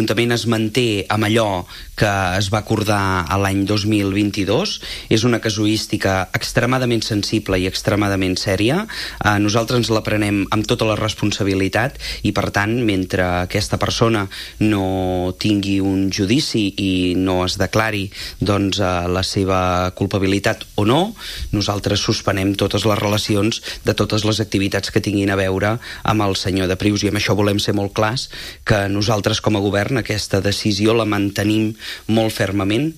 L'Ajuntament es manté amb allò que es va acordar a l'any 2022. És una casuística extremadament sensible i extremadament sèria. Nosaltres ens la prenem amb tota la responsabilitat i, per tant, mentre aquesta persona no tingui un judici i no es declari la seva culpabilitat o no, nosaltres suspenem totes les relacions de totes les activitats que tinguin a veure amb el senyor de Prius, i amb això volem ser molt clars que nosaltres com a govern aquesta decisió la mantenim molt fermament